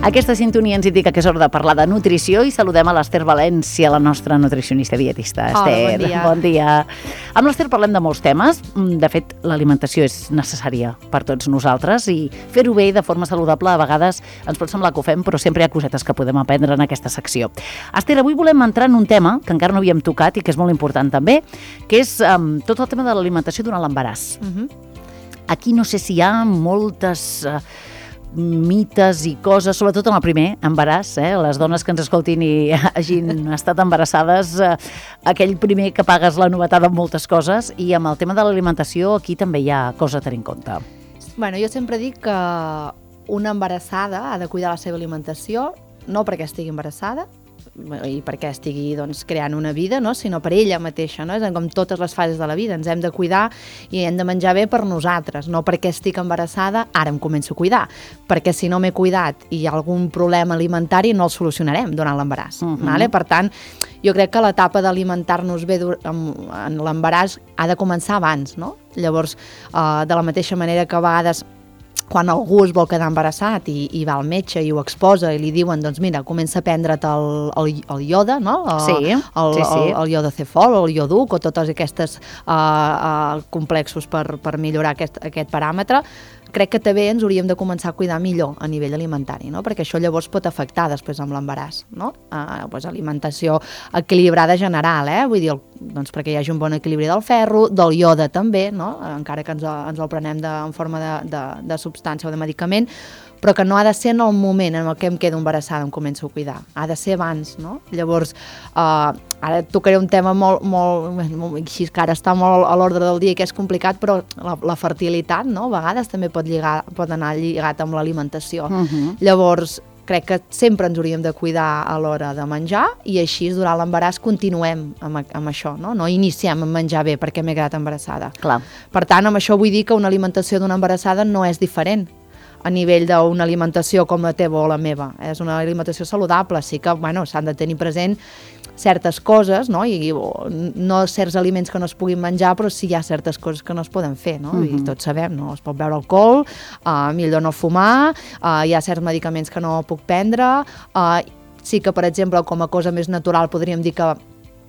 Aquesta sintonia ens indica que és hora de parlar de nutrició i saludem a l'Ester València, la nostra nutricionista dietista. Esther, bon dia. Bon dia. Amb l'Ester parlem de molts temes. De fet, l'alimentació és necessària per tots nosaltres i fer-ho bé de forma saludable a vegades ens pot semblar que ho fem, però sempre hi ha cosetes que podem aprendre en aquesta secció. Esther, avui volem entrar en un tema que encara no havíem tocat i que és molt important també, que és tot el tema de l'alimentació durant l'embaràs. Aquí no sé si hi ha moltes mites i coses, sobretot en el primer embaràs, les dones que ens escoltin i hagin estat embarassades, aquell primer que pagues la novetada amb moltes coses, i amb el tema de l'alimentació aquí també hi ha cosa a tenir en compte. Bueno, jo sempre dic que una embarassada ha de cuidar la seva alimentació, no perquè estigui embarassada i perquè estigui creant una vida, no? Sinó per ella mateixa, no? És com totes les fases de la vida, ens hem de cuidar i hem de menjar bé per nosaltres, no perquè estic embarassada, ara em començo a cuidar, perquè si no m'he cuidat i hi ha algun problema alimentari no el solucionarem durant l'embaràs. Vale? Per tant, jo crec que l'etapa d'alimentar-nos bé en l'embaràs ha de començar abans, no? Llavors, de la mateixa manera que a vegades quan algú es vol quedar embarassat i va al metge i ho exposa i li diuen, doncs mira, comença a prendre't el ioda, no? El ioda cefol, el ioduc o totes aquestes complexos per millorar aquest paràmetre. Crec que també ens hauríem de començar a cuidar millor a nivell alimentari, no? Perquè això llavors pot afectar després amb l'embaràs, no? Alimentació equilibrada general, vull dir, doncs perquè hi hagi un bon equilibri del ferro, del ioda també, no? Encara que ens el prenem en forma de substància o de medicament, però que no ha de ser en el moment en el que em quedo embarassada, em començo a cuidar. Ha de ser abans, no? Llavors, ara tocaré un tema molt així, que ara està molt a l'ordre del dia i que és complicat, però la fertilitat, no? A vegades també pot anar lligat amb l'alimentació. Llavors, crec que sempre ens hauríem de cuidar a l'hora de menjar i així durant l'embaràs continuem amb això, no? No iniciem a menjar bé perquè m'he quedat embarassada. Clar. Per tant, amb això vull dir que una alimentació d'una embarassada no és diferent a nivell d'una alimentació com la teva o la meva. És una alimentació saludable, sí que s'han de tenir present certes coses, no? I no certs aliments que no es puguin menjar, però sí hi ha certes coses que no es poden fer, no? I tots sabem, no? Es pot beure alcohol, millor no fumar, hi ha certs medicaments que no puc prendre, sí que, per exemple, com a cosa més natural podríem dir que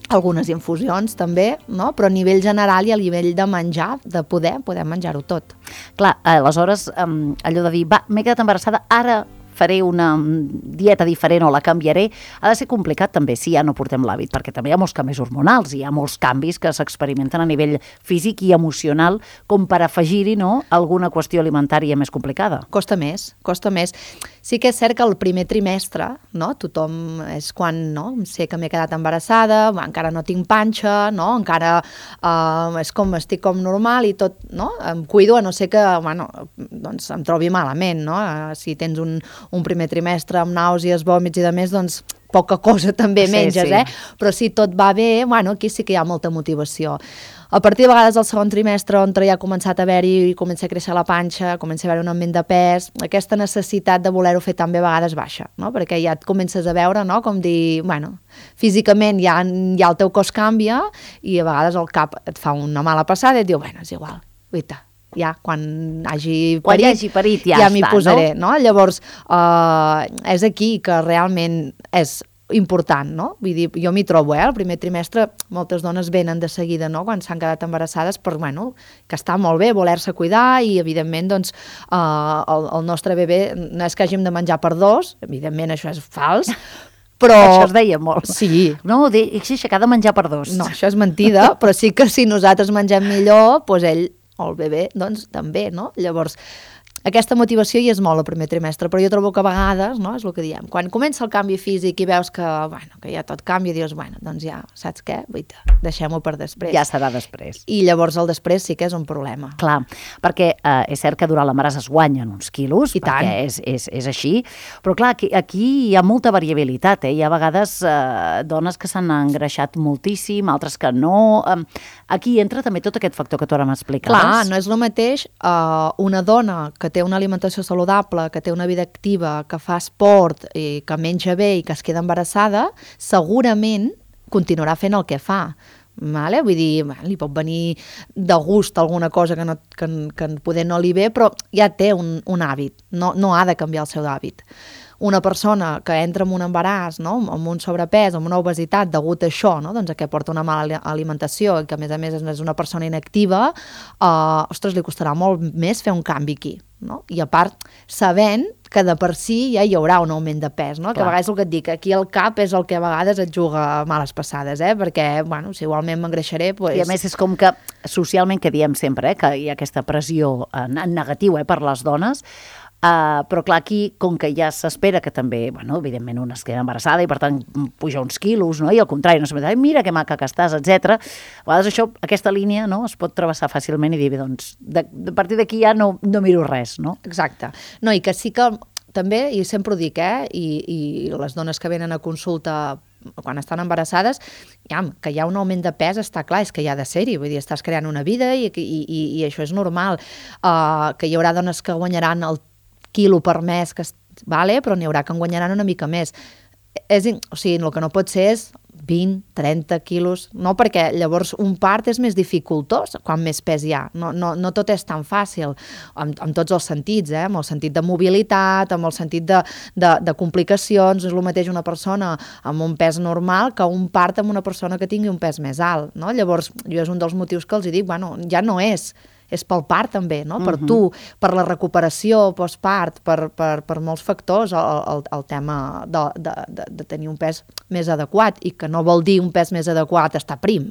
algunes infusions també, no? Però a nivell general i a nivell de menjar, de podem menjar-ho tot. Clar, aleshores, allò de dir, m'he quedat embarassada, ara faré una dieta diferent o la canviaré, ha de ser complicat també si ja no portem l'hàbit, perquè també hi ha molts canvis hormonals, hi ha molts canvis que s'experimenten a nivell físic i emocional com per afegir-hi, no?, alguna qüestió alimentària més complicada. Costa més. Sí que és cert que el primer trimestre, no?, tothom és quan, no?, sé que m'he quedat embarassada, encara no tinc panxa, no?, encara és com estic com normal i tot, no?, em cuido a no ser que, doncs em trobi malament, no?, si tens un primer trimestre amb nàusees, vòmits i de més, doncs poca cosa també menges, però si tot va bé, aquí sí que hi ha molta motivació. A partir de vegades del segon trimestre, on ja ha començat a haver-hi, comença a créixer la panxa, comença a haver un augment de pes, aquesta necessitat de voler-ho fer també a vegades baixa, no? Perquè ja et comences a veure, no?, com dir, físicament ja el teu cos canvia i a vegades el cap et fa una mala passada i et diu, és igual, guaita, ja quan hagi parit ja m'hi posaré, no? Llavors, és aquí que realment és important, no? Vull dir, jo m'hi trobo, el primer trimestre moltes dones venen de seguida, no?, quan s'han quedat embarassades, per, que està molt bé voler-se cuidar i, evidentment, doncs, el nostre bebè no és que hàgim de menjar per dos, evidentment això és fals, però... Això es deia molt. Sí. No, que ha de menjar per dos. No, això és mentida, però sí que si nosaltres mengem millor, doncs ell o el bebè, doncs també, no? Llavors, aquesta motivació hi és molt al primer trimestre, però jo trobo que a vegades, no, és el que diem, quan comença el canvi físic i veus que ja tot canvia, dius, doncs ja, saps què? Deixem-ho per després. Ja serà després. I llavors el després sí que és un problema. Clar, perquè és cert que durant l'embaràs es guanyen uns quilos, I tant. Perquè és així, però clar, aquí hi ha molta variabilitat, Hi ha vegades dones que s'han engreixat moltíssim, altres que no. Aquí entra també tot aquest factor que tu ara m'explicaves. Clar, no és el mateix una dona que té una alimentació saludable, que té una vida activa, que fa esport, i que menja bé i que es queda embarassada, segurament continuarà fent el que fa. Vale? Vull dir, li pot venir de gust alguna cosa que poder no li ve, però ja té un hàbit, no ha de canviar el seu hàbit. una persona que entra en un embaràs, no? Amb un sobrepès, amb una obesitat degut a això, no? Doncs a que porta una mala alimentació i que a més és una persona inactiva, ostres, li costarà molt més fer un canvi aquí, no? I a part, sabent que de per si ja hi haurà un augment de pes, no? Que a vegades el que et dic, aquí el cap és el que a vegades et juga males passades, perquè, bueno, si igualment m'engreixaré, doncs... I a més és com que socialment, que diem sempre, que hi ha aquesta pressió en negatiu per les dones, però clar, aquí, com que ja s'espera que també, bueno, evidentment una es queda embarassada i per tant puja uns quilos, no? I al contrari, no s'ha mira que maca que estàs, etc. A vegades això, aquesta línia, no? Es pot travessar fàcilment i dir, doncs, a partir d'aquí ja no miro res, no? Exacte. No, i que sí que també, i sempre ho dic, i les dones que venen a consulta quan estan embarassades, que hi ha un augment de pes, està clar, és que hi ha de ser-hi, vull dir, estàs creant una vida i això és normal. Que hi haurà dones que guanyaran el quilo per mes, però n'hi haurà que en guanyaran una mica més. O sigui, el que no pot ser és 20, 30 quilos, no, perquè llavors un part és més dificultós quan més pes hi ha. No tot és tan fàcil, en tots els sentits, amb el sentit de mobilitat, amb el sentit de complicacions. És el mateix una persona amb un pes normal que un part amb una persona que tingui un pes més alt, no? Llavors, jo és un dels motius que els dic, bueno, ja no és pel part també, no? Per tu, per la recuperació postpart, per molts factors, el tema de tenir un pes més adequat, i que no vol dir un pes més adequat estar prim.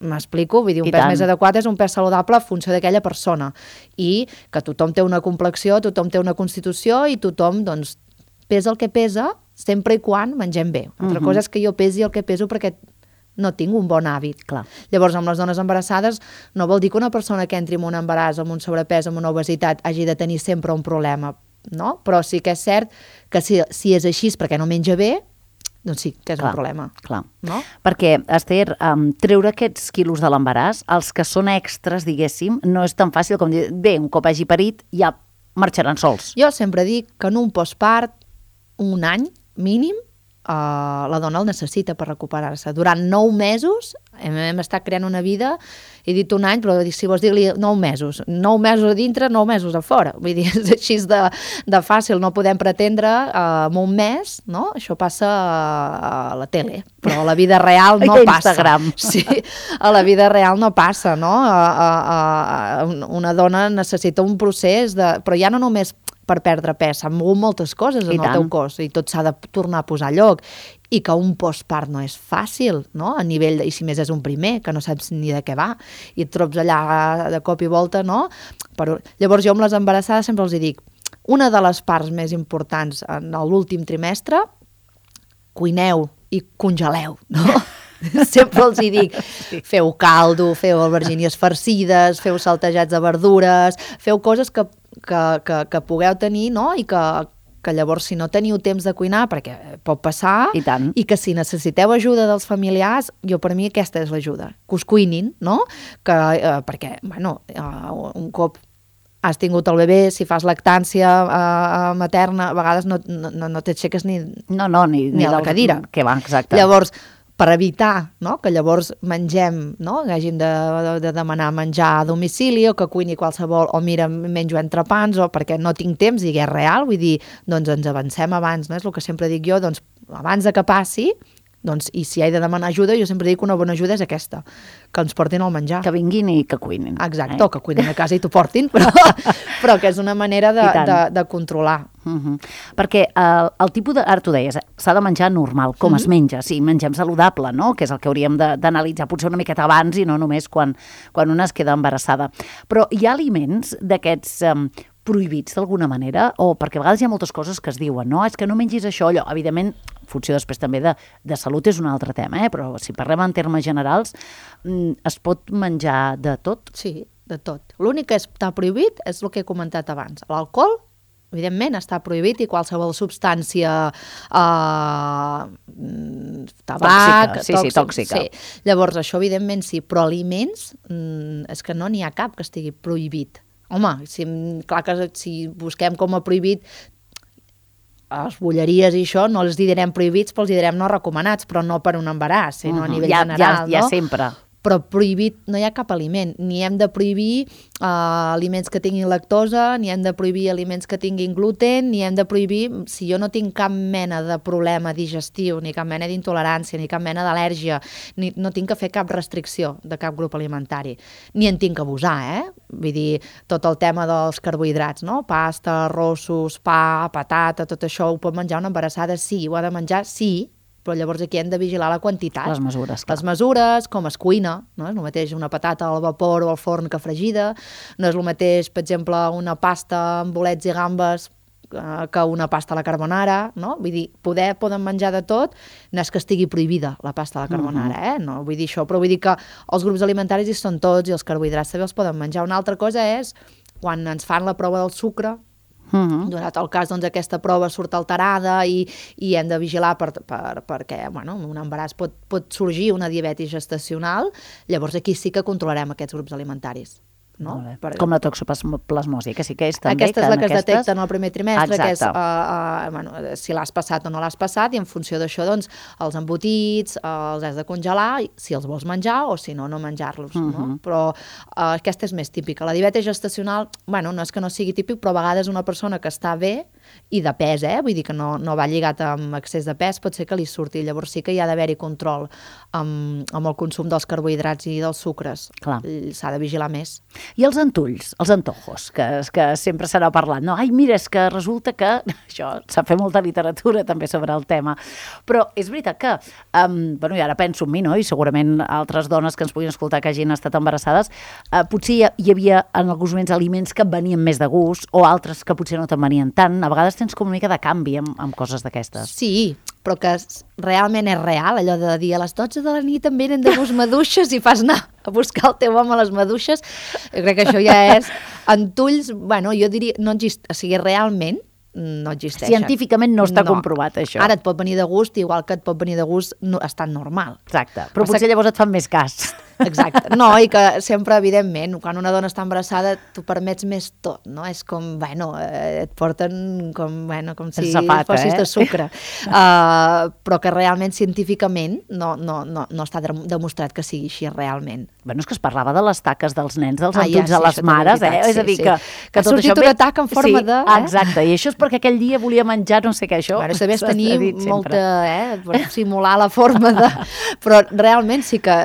M'explico? Vull dir, un pes més adequat és un pes saludable en funció d'aquella persona, i que tothom té una complexió, tothom té una constitució, i tothom, doncs, pesa el que pesa, sempre i quan mengem bé. Altra cosa és que jo pesi el que peso perquè no tinc un bon hàbit. Clar. Llavors, amb les dones embarassades, no vol dir que una persona que entri en un embaràs amb un sobrepès, amb una obesitat, hagi de tenir sempre un problema, no? Però sí que és cert que si és així perquè no menja bé, doncs sí que és un problema. Clar. No? Perquè, Esther, treure aquests quilos de l'embaràs, els que són extras, diguéssim, no és tan fàcil com dir, bé, un cop hagi parit, ja marxaran sols. Jo sempre dic que en un postpart, un any mínim, la dona el necessita per recuperar-se. Durant 9 mesos hem estat creant una vida, he dit un any, però si vols dir-li 9 mesos, 9 mesos a dintre, 9 mesos a fora. Vull dir, és així de fàcil, no podem pretendre en un mes, no? Això passa a la tele, però a la vida real no passa. Instagram. Sí, a la vida real no passa, no? Una dona necessita un procés, però ja no només per perdre pes, s'han mogut moltes coses en el teu cos i tot s'ha de tornar a posar a lloc, i que un postpart no és fàcil, no? A nivell i si més és un primer, que no saps ni de què va, i et trobes allà de cop i volta, no? Llavors jo amb les embarassades sempre els dic, una de les parts més importants en l'últim trimestre, cuineu i congeleu, no? Sempre els hi dic, feu caldo, feu albergínies farcides, feu saltejats de verdures, feu coses que pugueu tenir, no? I que llavors si no teniu temps de cuinar, perquè pot passar, i que si necessiteu ajuda dels familiars, per mi aquesta és l'ajuda, que us cuinin, no? Perquè, bueno, un cop has tingut el bebè, si fas lactància materna, a vegades no t'aixeques ni a la cadira. Que va, exacte. Llavors, per evitar, no? Que llavors mengem, no? Que hàgim de demanar menjar a domicili, o que cuini qualsevol, o mira, menjo entrepans, o perquè no tinc temps, i és real, vull dir, doncs ens avancem abans, no? És el que sempre dic jo, doncs abans de que passi, doncs, i si he de demanar ajuda, jo sempre dic que una bona ajuda és aquesta, que ens portin el menjar. Que vinguin i que cuinin. Exacte, o que cuinin a casa i t'ho portin, però que és una manera de controlar. Perquè el tipus de... Ara t'ho deies, s'ha de menjar normal, com es menja. Sí, mengem saludable, no? Que és el que hauríem d'analitzar potser una miqueta abans i no només quan una es queda embarassada. Però hi ha aliments d'aquests prohibits d'alguna manera, o perquè a vegades hi ha moltes coses que es diuen, no? És que no mengis això, allò. Evidentment, en funció després també de salut és un altre tema, però si parlem en termes generals, es pot menjar de tot? Sí, de tot. L'únic que està prohibit és el que he comentat abans. L'alcohol, evidentment, està prohibit, i qualsevol substància tabac, tòxica. Sí. Llavors, això evidentment sí, però aliments és que no n'hi ha cap que estigui prohibit. Home, clar que si busquem com a prohibit les bolleries i això, no els direm prohibits, però els direm no recomanats, però no per un embaràs, sinó a nivell general. Ja sempre. però prohibit no hi ha cap aliment, ni hem de prohibir aliments que tinguin lactosa, ni hem de prohibir aliments que tinguin gluten, ni hem de prohibir, si jo no tinc cap mena de problema digestiu, ni cap mena d'intolerància, ni cap mena d'al·lèrgia, no tinc que fer cap restricció de cap grup alimentari, ni en tinc que abusar, vull dir, tot el tema dels carbohidrats, no? Pasta, arrossos, pa, patata, tot això ho pot menjar una embarassada? Sí, ho ha de menjar? Sí, però llavors aquí hem de vigilar la quantitat. Les mesures, clar. Les mesures, com es cuina, no és el mateix una patata al vapor o al forn que fregida, no és el mateix, per exemple, una pasta amb bolets i gambes que una pasta a la carbonara, no? Vull dir, poden menjar de tot, no és que estigui prohibida la pasta a la carbonara, no vull dir això, però vull dir que els grups alimentaris hi són tots i els carbohidrats també els poden menjar. Una altra cosa és quan ens fan la prova del sucre, donat el cas, doncs aquesta prova surt alterada i hem de vigilar perquè, bueno, un embaràs pot sorgir una diabetis gestacional, llavors aquí sí que controlarem aquests grups alimentaris. No? Com la toxoplasmosi, que sí que és també... Aquesta és la que es detecta en el primer trimestre, que és si l'has passat o no l'has passat, i en funció d'això, doncs, els embotits els has de congelar, si els vols menjar o si no, no menjar-los. No? Però aquesta és més típica. La diabetis gestacional, bueno, no és que no sigui típic, però a vegades una persona que està bé i de pes, vull dir que no va lligat amb excés de pes, pot ser que li surti. Llavors sí que hi ha d'haver-hi control amb el consum dels carbohidrats i dels sucres. S'ha de vigilar més. I els antulls, els antojos, que sempre s'ha parlat, no? Ai, mira, és que resulta que... Això, s'ha fet molta literatura també sobre el tema. Però és veritat que, bueno, i ara penso en mi, no? I segurament altres dones que ens puguin escoltar que hagin estat embarassades, potser hi havia en alguns moments aliments que et venien més de gust o altres que potser no te'n venien tant. A vegades tens com una mica de canvi amb coses d'aquestes. Sí, però que realment és real, allò de dir a les 12 de la nit em venen de gust maduixes i fas anar a buscar el teu home a les maduixes. Jo crec que això ja és antulls, bueno, jo diria, no existeix, o sigui, realment no existeixen. Científicament no està comprovat, això. Ara et pot venir de gust, igual que et pot venir de gust estant normal. Exacte, però potser llavors et fan més cas. Exacte, no, i que sempre, evidentment, quan una dona està embarassada, tu permets més tot, no? És com, bueno, et porten com si fossis de sucre. Però que realment, científicament, no està demostrat que sigui així realment. Bueno, és que es parlava de les taques dels nens, dels antulls de les mares, És a dir, que ha sortit una taca en forma de... Exacte, i això és perquè aquell dia volia menjar no sé què, això... Bueno, també és tenir molta... per simular la forma de... Però realment sí que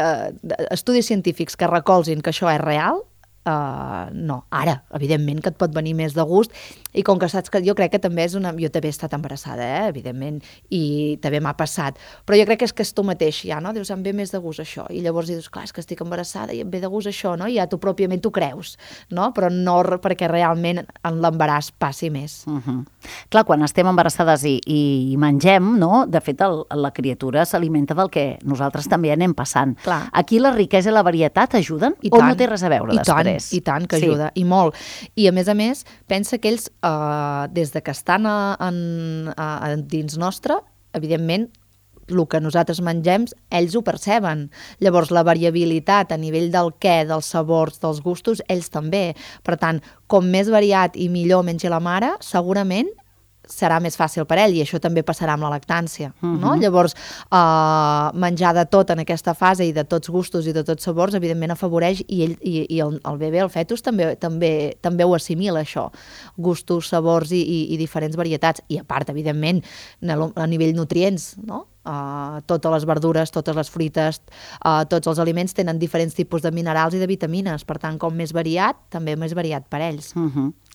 estudis científics que recolzin que això és real, no. Ara, evidentment, que et pot venir més de gust, i com que saps que jo crec que també és una... Jo també he estat embarassada, evidentment, i també m'ha passat, però jo crec que és tu mateix, ja, no? Dius, em ve més de gust això, i llavors dius, clar, és que estic embarassada i em ve de gust això, no? I ja tu pròpiament t'ho creus, no? Però no perquè realment en l'embaràs passi més. Clar, quan estem embarassades i mengem, no? De fet, la criatura s'alimenta del que nosaltres també anem passant. Clar. Aquí la riquesa i la varietat ajuden o no té res a veure després? I tant que ajuda, i molt. I a més, pensa que ells, des de que estan dins nostre, evidentment, el que nosaltres mengem, ells ho perceben. Llavors, la variabilitat a nivell del què, dels sabors, dels gustos, ells també. Per tant, com més variat i millor mengi la mare, segurament serà més fàcil per ell, i això també passarà amb la lactància, no? Llavors, menjar de tot en aquesta fase i de tots gustos i de tots sabors, evidentment afavoreix, i el bebè, el fetus, també ho assimila, això. Gustos, sabors i diferents varietats. I a part, evidentment, a nivell nutrients, no? Totes les verdures, totes les fruites, tots els aliments tenen diferents tipus de minerals i de vitamines, per tant, com més variat, també més variat per ells.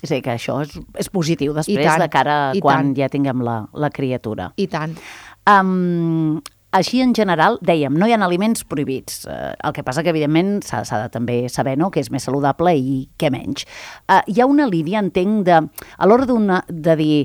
És a dir, que això és positiu després de cara a quan ja tinguem la criatura. I tant. Així, en general, dèiem, no hi ha aliments prohibits. El que passa que, evidentment, s'ha de també saber, no?, què és més saludable i què menys. Hi ha una línia, entenc, a l'hora de dir...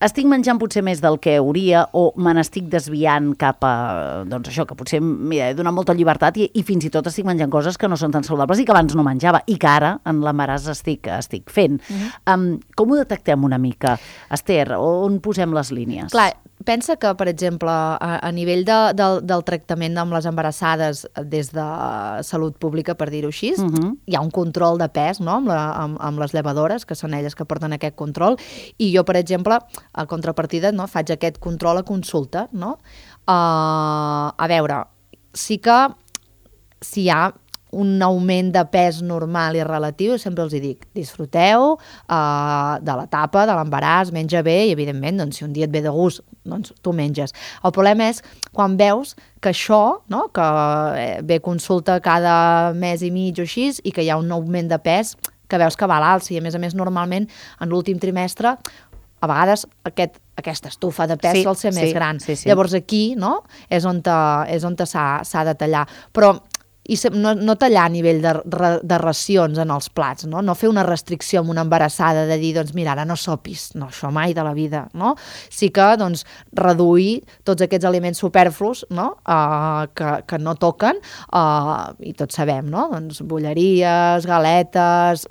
Estic menjant potser més del que hauria o me n'estic desviant cap a, doncs això, que potser he donat molta llibertat i fins i tot estic menjant coses que no són tan saludables i que abans no menjava i que ara en l'embaràs estic fent. Com ho detectem una mica, Esther? On posem les línies? Clar, pensa que, per exemple, a nivell del tractament amb les embarassades des de salut pública, per dir-ho així, hi ha un control de pes, no?, amb les llevadores, que són elles que porten aquest control, i jo, per exemple, a contrapartida, no, faig aquest control a consulta, no? A veure, sí que si hi ha un augment de pes normal i relatiu, sempre els hi dic, disfruteu de l'etapa, de l'embaràs, menja bé i, evidentment, doncs, si un dia et ve de gust, doncs tu menges. El problema és quan veus que això, no, que ve consulta cada mes i mig o així, i que hi ha un augment de pes que veus que va a l'alça, i a més, normalment, en l'últim trimestre, a vegades aquesta estufa de pes sol ser més gran. Llavors aquí, no, és on s'ha de tallar. Però no tallar a nivell de racions en els plats, no fer una restricció amb una embarassada de dir, doncs mira, ara no sopis, no, això mai de la vida, no? Sí que, doncs, reduir tots aquests aliments superflus, no?, que no toquen, i tots sabem, no?, doncs bolleries, galetes,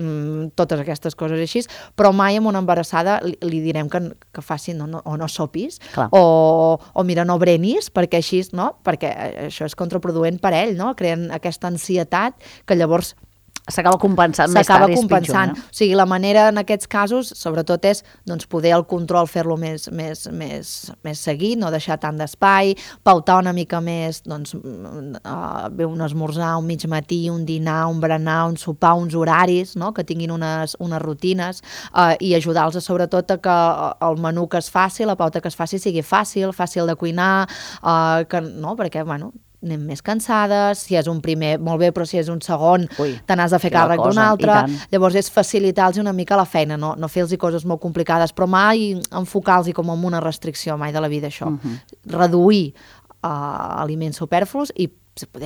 totes aquestes coses així, però mai amb una embarassada li direm que faci, o no sopis, o mira, no brenis, perquè així, no?, perquè això és contraproduent per ell, no?, creen aquesta ansietat que llavors s'acaba compensant més tard i és pitjor. O sigui, la manera en aquests casos, sobretot, és doncs, poder el control fer-lo més seguit, no deixar tant d'espai, pautar una mica més, doncs, un esmorzar, un mig matí, un dinar, un berenar, un sopar, uns horaris, no?, que tinguin unes rutines, i ajudar-los, sobretot, a que el menú que es faci, la pauta que es faci, sigui fàcil de cuinar, perquè, bueno, anem més cansades, si és un primer, molt bé, però si és un segon, te n'has de fer càrrec d'un altre. Llavors és facilitar-los una mica la feina, no fer-los coses molt complicades, però mai enfocar-los com amb una restricció, mai de la vida, això. Reduir aliments superflus i,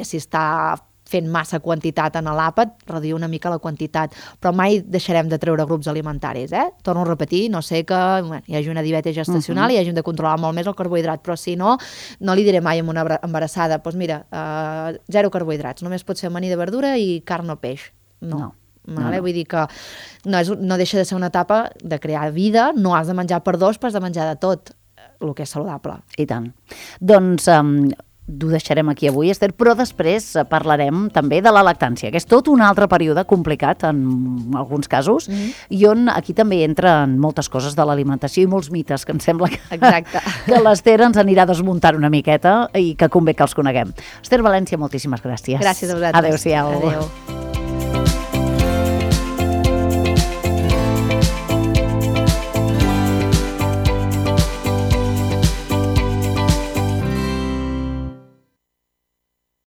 si està fent massa quantitat en l'àpat, reduir una mica la quantitat, però mai deixarem de treure grups alimentaris, Torno a repetir, no sé que hi hagi una diabetis gestacional i hagin de controlar molt més el carbohidrat, però si no, no li diré mai a una embarassada, doncs mira, 0 carbohidrats, només pot ser amanir de verdura i carn o peix. No. Vull dir que no deixa de ser una etapa de crear vida, no has de menjar per dos, però has de menjar de tot, el que és saludable. I tant. Doncs ho deixarem aquí avui, Esther, però després parlarem també de la lactància, que és tot un altre període complicat en alguns casos, i on aquí també entren moltes coses de l'alimentació i molts mites, que em sembla que l'Esther ens anirà desmuntant una miqueta i que convé que els coneguem. Esther València, moltíssimes gràcies. Gràcies a vosaltres. Adéu-siau. Adéu.